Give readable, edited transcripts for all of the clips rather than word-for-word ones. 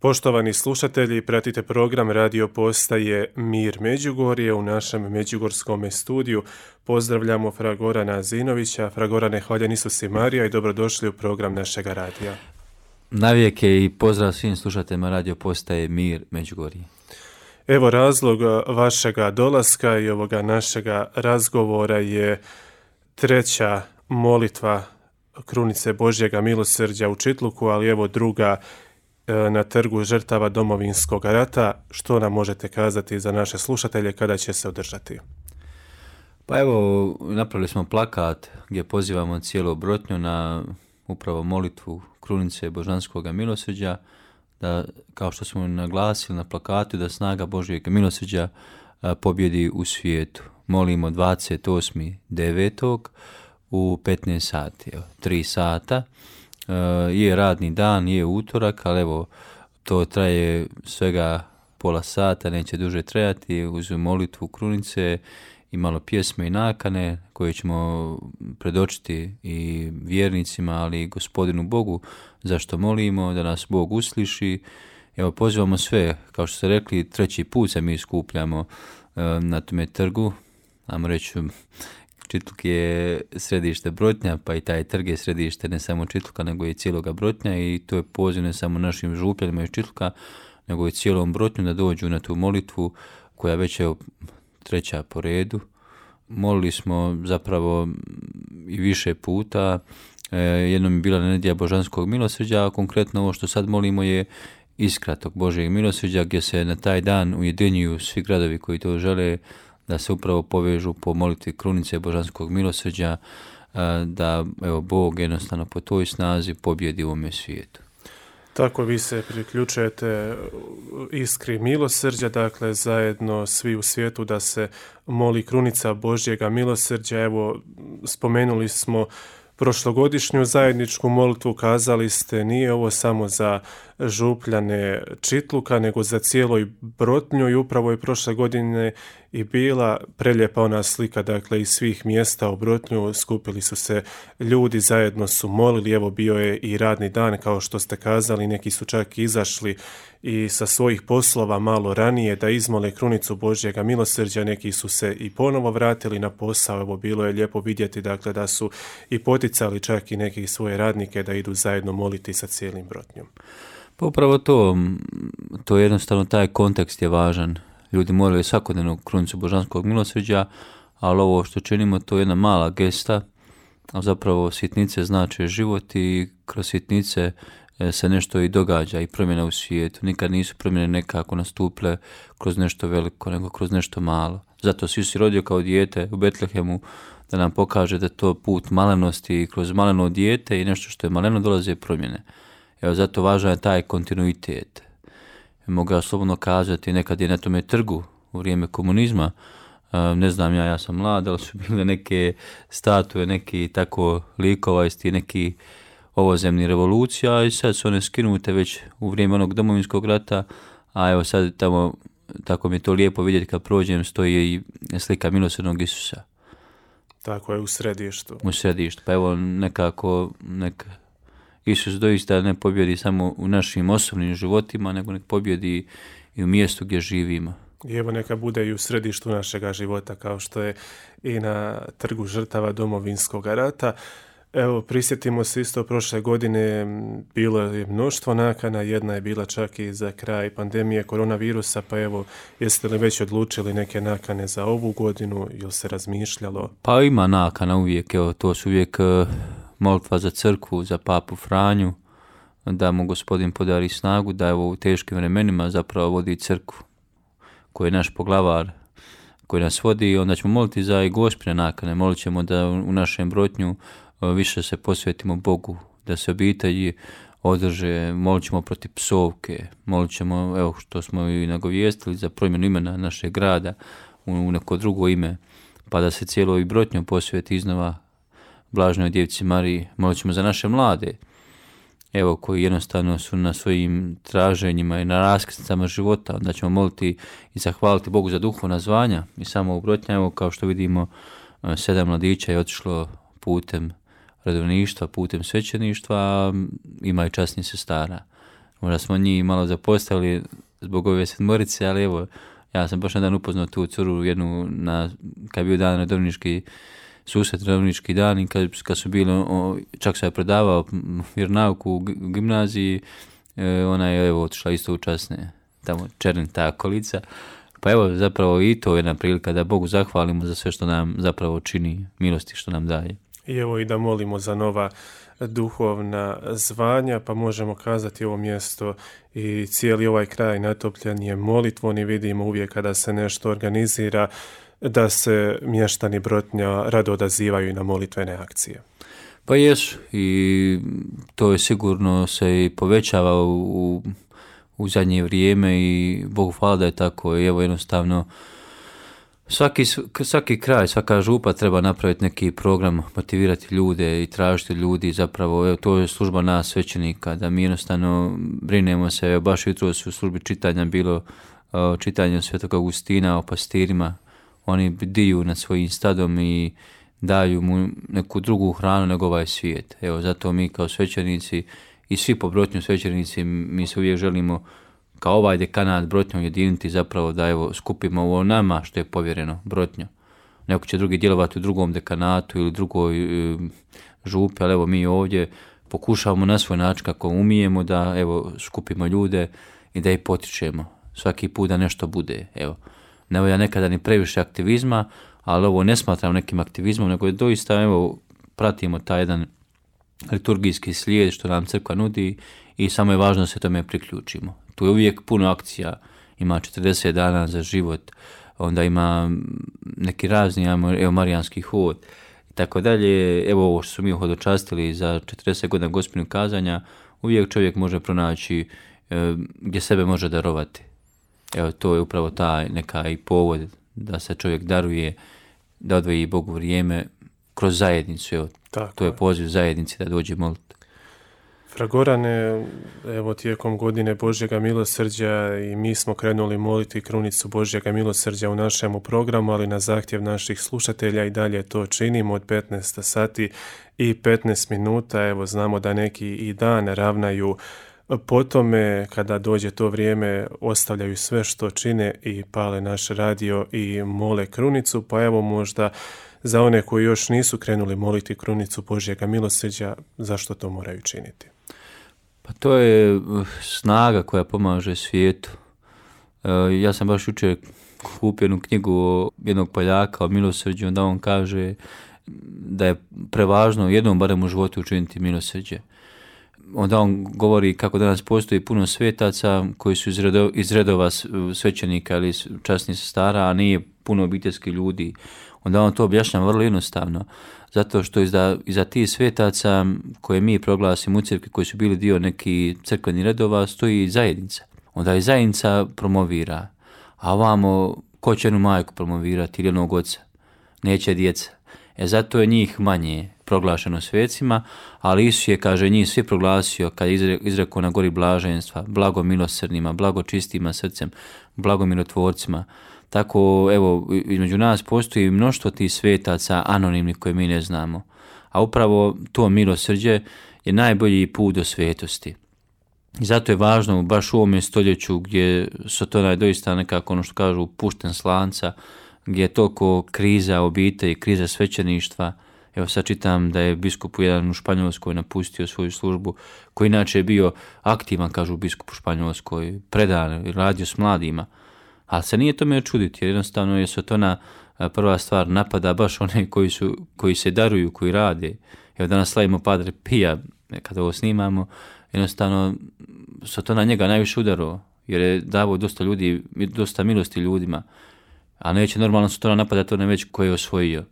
Poštovani slušatelji, pratite program radio postaje Mir Međugorje u našem međugorskom studiju. Pozdravljamo fra Gorana Zinovića. Fra Gorane, hvaljen Isus i Marija i dobrodošli u program našega radija. Navijeke i pozdrav svim slušateljima radio postaje Mir Međugorje. Evo, razlog vašega dolaska i ovoga našega razgovora je treća molitva Krunice Božjega milosrđa u Čitluku, ali evo druga na Trgu žrtava Domovinskog rata. Što nam možete kazati za naše slušatelje, kada će se održati? Pa evo, napravili smo plakat gdje pozivamo cijelu Brotnju na upravo molitvu Krunice Božanskog milosrđa, da, kao što smo naglasili na plakatu, da snaga Božjeg milosrđa pobjedi u svijetu. Molimo 28.9. u 15 sati, 3 sata. Je radni dan, je utorak, ali evo, to traje svega pola sata, neće duže trajati, uz molitvu Krunice i malo pjesme i nakane koje ćemo predočiti i vjernicima, ali i Gospodinu Bogu, zašto molimo, da nas Bog usliši. Evo, pozivamo sve, kao što ste rekli, treći put se mi skupljamo na tome trgu, ajmo reći, Čitluk je središte Brotnja, pa i taj trg je središte ne samo Čitluka, nego i cijeloga Brotnja, i to je poziv ne samo našim župljanima iz Čitluka, nego i cijelom Brotnju da dođu na tu molitvu koja već je treća po redu. Molili smo zapravo i više puta, jednom je bila nedjelja Božanskog milosrđa, a konkretno ovo što sad molimo je iskra tog Božjeg milosrđa, gdje se na taj dan ujedinjuju svi gradovi koji to žele, da se upravo povežu po molitvi Krunice Božanskog milosrđa, da evo, Bog jednostavno po toj snazi pobjedi u ovome svijetu. Tako vi se priključujete iskri milosrđa, dakle zajedno svi u svijetu da se moli Krunica Božjega milosrđa. Evo, spomenuli smo prošlogodišnju zajedničku molitvu, kazali ste nije ovo samo za župljane Čitluka, nego za cijelo i Brotnju, i upravo je prošle godine i bila prelijepa ona slika, dakle iz svih mjesta u Brotnju skupili su se ljudi, zajedno su molili, evo bio je i radni dan kao što ste kazali, neki su čak izašli i sa svojih poslova malo ranije da izmole Krunicu Božjega milosrđa, neki su se i ponovo vratili na posao, evo bilo je lijepo vidjeti, dakle da su i poticali čak i neki svoje radnike da idu zajedno moliti sa cijelim Brotnjom. Pa upravo to je jednostavno, taj kontekst je važan. Ljudi moraju svakodnevno Krunicu Božanskog milosrđa, ali ovo što činimo to je jedna mala gesta, a zapravo sitnice znače život i kroz sitnice se nešto i događa i promjena u svijetu. Nikad nisu promjene nekako nastupile kroz nešto veliko, nego kroz nešto malo. Zato si rodio kao dijete u Betlehemu, da nam pokaže da to put malenosti i kroz maleno dijete i nešto što je maleno dolaze promjene. Evo, zato važan je taj kontinuitet. Mogu ja slobodno kazati, nekad je na tome trgu u vrijeme komunizma, ne znam ja sam mlad, ali su bile neke statue, neki tako likova iz tih neki ovozemni revolucija, i sad su one skinute već u vrijeme onog Domovinskog rata, a evo sad tamo, tako mi je to lijepo vidjeti kad prođem, stoji i slika milosrdnog Isusa. Tako je, u središtu. U središtu, pa evo nekako, Isus doista ne pobjedi samo u našim osobnim životima, nego nek pobjedi i u mjestu gdje živimo. I evo, neka bude i u središtu našega života, kao što je i na Trgu žrtava Domovinskog rata. Evo, prisjetimo se isto prošle godine, bilo je mnoštvo nakana, jedna je bila čak i za kraj pandemije koronavirusa, pa evo, jeste li već odlučili neke nakane za ovu godinu ili se razmišljalo? Pa ima nakana uvijek, evo, to su uvijek molitva za crkvu, za papu Franju, da mu Gospodin podari snagu, da evo u teškim vremenima zapravo vodi crkvu, koji je naš poglavar, koji nas vodi, i onda ćemo moliti za i gospine nakane, molit ćemo da u našem Brotnju više se posvetimo Bogu, da se obitelji održe, molit ćemo protiv psovke, molit ćemo, evo što smo i nagovijestili, za promjenu imena našeg grada u neko drugo ime, pa da se cijelo i Brotnju posveti iznova Blažnoj Djevici Mariji. Molit ćemo za naše mlade, evo, koji jednostavno su na svojim traženjima i na raskrsnicama života. Onda ćemo moliti i zahvaliti Bogu za duhovna zvanja. I samo u Brotnja, evo, kao što vidimo, 7 mladića je otišlo putem redovništva, putem svećeništva, ima i časnih sestara. Možda smo njih malo zapostavili zbog ove sedmorice, ali evo, ja sam baš jedan upoznao tu curu jednu, kad je bio dan redovnički susret, redovnički dan, i kad su bili, čak se je predavao vjeronauk u gimnaziji, ona je evo otišla isto u časne, tamo Čerin, ta okolica. Pa evo, zapravo i to je jedna prilika da Bogu zahvalimo za sve što nam zapravo čini, milosti što nam daje. I evo i da molimo za nova duhovna zvanja, pa možemo kazati ovo mjesto i cijeli ovaj kraj natopljen je molitvom i vidimo uvijek kada se nešto organizira da se mještani Brotnja rado odazivaju i na molitvene akcije. Pa jesu, i to je sigurno se i povećava u zadnje vrijeme i Bogu hvala da je tako. I evo jednostavno svaki kraj, svaka župa treba napraviti neki program, motivirati ljude i tražiti ljudi, zapravo evo, to je služba nas svećenika, da mi jednostavno brinemo se. Evo, baš jutros u službi čitanja bilo čitanje Svetog Augustina o pastirima. Oni bdiju nad svojim stadom i daju mu neku drugu hranu nego ovaj svijet. Evo, zato mi kao svećenici i svi po Brotnju svećenici, mi se uvijek želimo kao ovaj dekanat Brotnjom jediniti, zapravo da evo skupimo ovo nama što je povjereno Brotnju. Neko će drugi djelovati u drugom dekanatu ili drugoj župi, ali evo mi ovdje pokušavamo na svoj način kako umijemo da evo skupimo ljude i da ih potičemo. Svaki put da nešto bude. Evo, ne ja nekada ni previše aktivizma, ali ovo ne smatram nekim aktivizmom, nego je doista evo pratimo taj jedan liturgijski slijed što nam crkva nudi i samo je važno da se tome priključimo. Tu je uvijek puno akcija, ima 40 dana za život, onda ima neki razni, evo marijanski hod i tako dalje. Evo ovo što su mi hodočastili za 40 godina Gospinog kazanja, uvijek čovjek može pronaći gdje sebe može darovati. Evo to je upravo taj neka i povod da se čovjek daruje, da odvoji Bogu vrijeme kroz zajednicu. Evo, to je poziv zajednici da dođe moliti. Fragorane, evo tijekom godine Božjega milosrđa i mi smo krenuli moliti krunicu Božjega milosrđa u našemu programu, ali na zahtjev naših slušatelja i dalje to činimo od 15 sati i 15 minuta. Evo znamo da neki i dan ravnaju po tome, kada dođe to vrijeme ostavljaju sve što čine i pale naš radio i mole krunicu, pa evo možda za one koji još nisu krenuli moliti krunicu Božjega milosrđa, zašto to moraju činiti? Pa to je snaga koja pomaže svijetu. Ja sam baš jučer kupio jednu knjigu jednog Poljaka o milosrđu, onda on kaže da je prevažno jednom barem u životu učiniti milosrđe. Onda on govori kako danas postoji puno svetaca koji su iz redova svećenika ili časnih sestara, a nije puno obiteljskih ljudi. Onda on to objašnjava vrlo jednostavno, zato što iza tih svetaca koje mi proglasimo u crkvi, koji su bili dio nekih crkvenih redova, stoji zajednica. Onda i zajednica promovira, a ovamo ko će jednu majku promovirati ili jednog oca? Neće djeca. Zato je njih manje proglašeno svecima, ali Isus je, kaže, njih svi proglasio kad je izrekao na gori blaženstva, blago milosrdnima, blago čistima srcem, blago mirotvorcima. Tako, evo, između nas postoji mnoštvo tih svetaca anonimnih koje mi ne znamo. A upravo to milosrđe je najbolji put do svetosti. I zato je važno, baš u ovome stoljeću gdje Sotona je doista nekako, ono što kažu, pušten s lanca, gdje je toliko kriza obitelji, kriza svećeništva. Evo sad čitam da je biskup jedan u Španjolskoj napustio svoju službu, koji inače je bio aktivan, kažu biskup u Španjolskoj, predan, radio s mladima. Ali se nije tome čuditi, jer jednostavno je Sotona prva stvar napada baš one koji se daruju, koji rade. Evo danas slavimo Padre Pija, kada ovo snimamo, jednostavno Sotona njega najviše udarao, jer je davao dosta milosti ljudima. A neće normalno Sotona napadati one već koje je osvojio.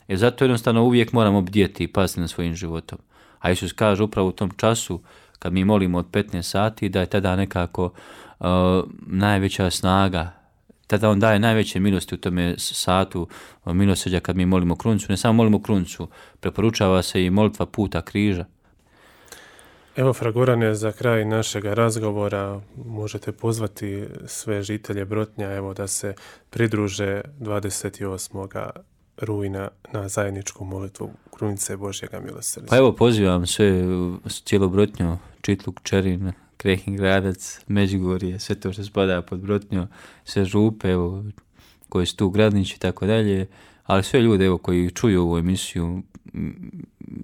Zato jednostavno uvijek moramo bdjeti i paziti na svojim životom. A Isus kaže upravo u tom času, kad mi molimo od 15 sati, da je tada nekako najveća snaga. Tada on daje najveće milosti u tome satu milosrđa kad mi molimo krunicu. Ne samo molimo krunicu, preporučava se i molitva puta križa. Evo, Fragorane, za kraj našeg razgovora možete pozvati sve žitelje Brotnja, evo, da se pridruže 28. rujna na zajedničku molitvu krunice Božjega milosrđa. Pa evo, pozivam sve cijelo Brotnjo, Čitluk, Čerin, Krehin Gradac, Međugorje, sve to što spada pod Brotnjo, sve župe, evo, koji su tu Gradnić i tako dalje, ali sve ljude evo, koji čuju ovu emisiju,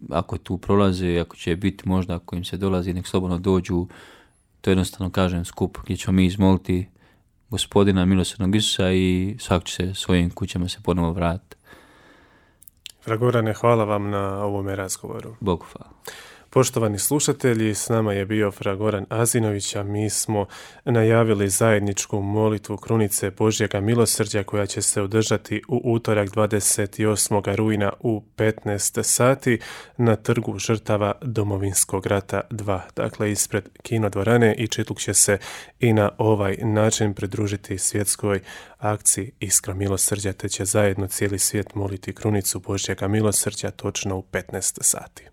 ako tu prolaze, ako će biti možda, ako im se dolazi, nek slobodno dođu, to jednostavno kažem skup gdje ćemo mi izmoliti Gospodina milosrdnog Isusa i svak će se svojim kućama se ponovo vratiti. Fragorane, hvala vam na ovome razgovoru. Bogu hvala. Poštovani slušatelji, s nama je bio Fragoran Azinović, a mi smo najavili zajedničku molitvu Krunice Božjega milosrđa koja će se održati u utorak 28. rujna u 15 sati na Trgu žrtava Domovinskog rata 2, dakle ispred kinodvorane, i Čitluk će se i na ovaj način pridružiti svjetskoj akciji Iskra milosrđa, te će zajedno cijeli svijet moliti Krunicu Božjega milosrđa točno u 15 sati.